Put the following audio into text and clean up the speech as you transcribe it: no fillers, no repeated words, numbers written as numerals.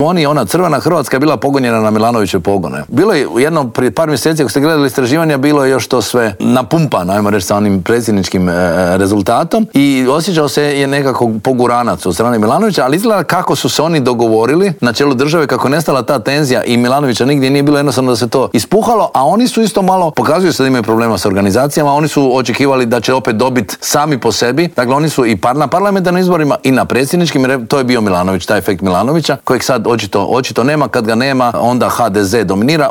Ona crvena Hrvatska je bila pogonjena na Milanovićeve pogone. Bilo je jednom prije par mjeseci, ako ste gledali istraživanja, bilo je još to sve napumpano, ajmo reći, sa onim predsjedničkim rezultatom i osjećao se je nekako poguranac od strane Milanovića, ali izgleda kako su se oni dogovorili na čelu države, kako je nestala ta tenzija i Milanovića nigdje nije bilo, jednostavno da se to ispuhalo, a oni su isto malo, pokazuju se da imaju problema s organizacijama, oni su očekivali da će opet dobiti sami po sebi, dakle oni su i na parlamentarnim izborima i na predsjedničkim, to je bio Milanović, taj efekt Milanovića, kojeg sad očito nema, kad ga nema, onda HDZ dominira.